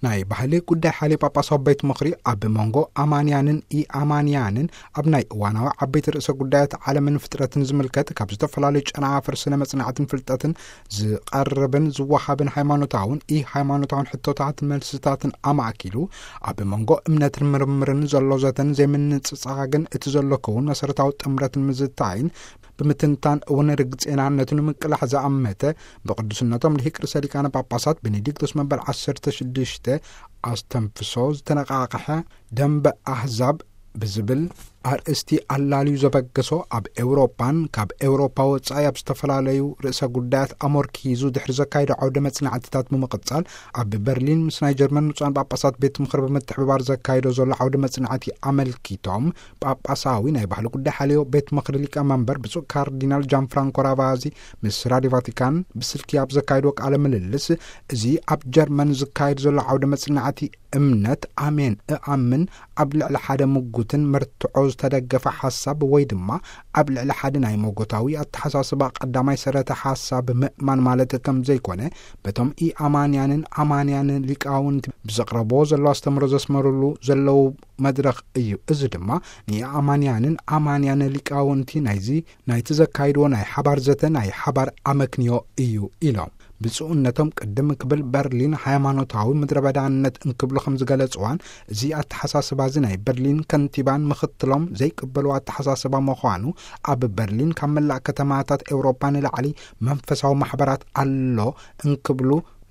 ናይ ባህሊ ጉዳይ ሓልዮ ጳጳሳዊ ቤት ምኽሪ ኣብ መንጎ ኣማንያንን ኢኣማንያንን ኣብ ናይ እዋናዊ ዓበይቲ ርእሰ ጉዳያት ዓለምን ፍጥረትን ዝምልከት ካብ ዝተፈላለዩ ጨናፍር ስነ መጽናዕትን ፍልጠትን ዝቐርብን ዝወሃብን ሃይማኖታውን ኢ ሃይማኖታውን ሕቶታት መልስታትን ኣማእኪሉ ኣብ መንጎ እምነትን ምርምርን ዘሎ ዘተን ዘይምንጽጻግን እቲ ዘሎ ክውን መሰረታዊ ጥምረትን ምዝታይን ብምትንታን እውን ርግጼናነቱ ንምቅላሕ ዝኣመተ ብቅዱስነቶም ልሂቅ ርእሰ ሊቃነ ጳጳሳት ቤኔዲክቶስ መበል ዓሰርተ ሽዱሽተ ኣስተንፍሶ ዝተነቃቅሐ ደንበ ኣህዛብ ብዝብል ኣርእስቲ ኣላልዩ ዘበገሶ ኣብ ኤውሮጳን ካብ ኤውሮጳ ወጻኢ ኣብ ዝተፈላለዩ ርእሰ ጉዳያት ኣሞርኪዙ ድሕሪ ዘካይዶ ዓውደ መጽናዕትታት ብምቕጻል ኣብ በርሊን ምስ ናይ ጀርመን ብፁዓን ጳጳሳት ቤት ምኽሪ ብምትሕብባር ዘካይዶ ዘሎ ዓውደ መጽናዕቲ ኣመልኪቶም ጳጳሳዊ ናይ ባህሊ ጉዳይ ሓልዮ ቤት ምኽሪ ሊቀ መንበር ብፁዕ ካርዲናል ጃን ፍራንኮ ራቫዚ ምስ ራድዮ ቫቲካን ብስልኪ ኣብ ዘካይድዎ ቃለ ምልልስ እዚ ኣብ ጀርመን ዝካየድ ዘሎ ዓውደ መጽናዕቲ እምነት ኣሜን እኣምን ኣብ ልዕሊ ሓደ ምጉትን መርትዖ ዝተደገፈ ሓሳብ ወይ ድማ ኣብ ልዕሊ ሓደ ናይ መጎታዊ ኣተሓሳስባ ቀዳማይ ሰረተ ሓሳብ ምእማን ማለት ከም ዘይኮነ በቶም ኢኣማንያንን ኣማንያን ሊቃውንቲ ብዘቕረብዎ ዘሎ ኣስተምህሮ ዘስመሩሉ ዘለዉ መድረኽ እዩ። እዚ ድማ ንኢኣማንያንን ኣማንያን ሊቃውንቲ ናይዚ ናይቲ ዘካይድዎ ናይ ሓባር ዘተ ናይ ሓባር ኣመክንዮ እዩ ኢሎም። ብፁዕነቶም ቅድም ክብል በርሊን ሃይማኖታዊ ምድረ በዳነት እንክብሉ ከም ዝገለጽዋን እዚ ኣተሓሳስባ እዚ ናይ በርሊን ከንቲባን ምኽትሎም ዘይቅበሉ ኣተሓሳስባ ምዃኑ ኣብ በርሊን ካብ መላእ ከተማታት ኤውሮጳ ንላዕሊ መንፈሳዊ ማሕበራት ኣሎ እንክብሉ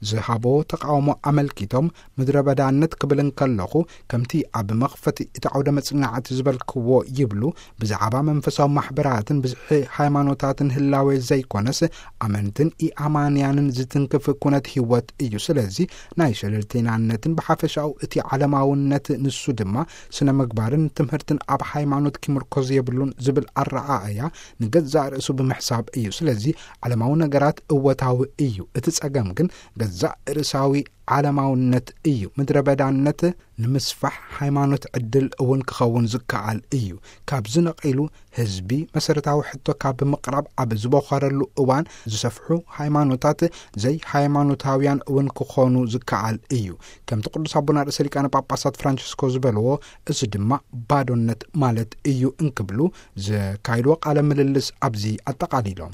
ዝሃቦ ተቃውሞ ኣመልኪቶም ምድረ በዳነት ክብል እንከለኹ ከምቲ ኣብ መኽፈቲ እቲ ዓውደ መጽናዕቲ ዝበልክዎ ይብሉ ብዛዕባ መንፈሳዊ ማሕበራትን ብዝሒ ሃይማኖታትን ህላዌ ዘይኮነስ ኣመንትን ኢኣማንያንን ዝትንክፍ ኩነት ህይወት እዩ። ስለዚ ናይ ሸለልተይናነትን ብሓፈሻኡ እቲ ዓለማውነት ንሱ ድማ ስነ ምግባርን ትምህርትን ኣብ ሃይማኖት ክምርኮዝ የብሉን ዝብል ኣረኣእያ ንገዛእ ርእሱ ብምሕሳብ እዩ። ስለዚ ዓለማዊ ነገራት እወታዊ እዩ። እቲ ጸገም ግን ገዛእ ርእሳዊ ዓለማውነት እዩ። ምድረ በዳነት ንምስፋሕ ሃይማኖት ዕድል እውን ክኸውን ዝከኣል እዩ። ካብዚ ነቒሉ ህዝቢ መሰረታዊ ሕቶ ካብ ምቕራብ ኣብ ዝበኾረሉ እዋን ዝሰፍሑ ሃይማኖታት ዘይሃይማኖታውያን እውን ክኾኑ ዝከኣል እዩ። ከምቲ ቅዱስ ኣቦና ርእሰ ሊቃነ ጳጳሳት ፍራንቸስኮ ዝበልዎ እዚ ድማ ባዶነት ማለት እዩ እንክብሉ ዘካይድዎ ቃለ ምልልስ ኣብዚ ኣጠቓሊሎም።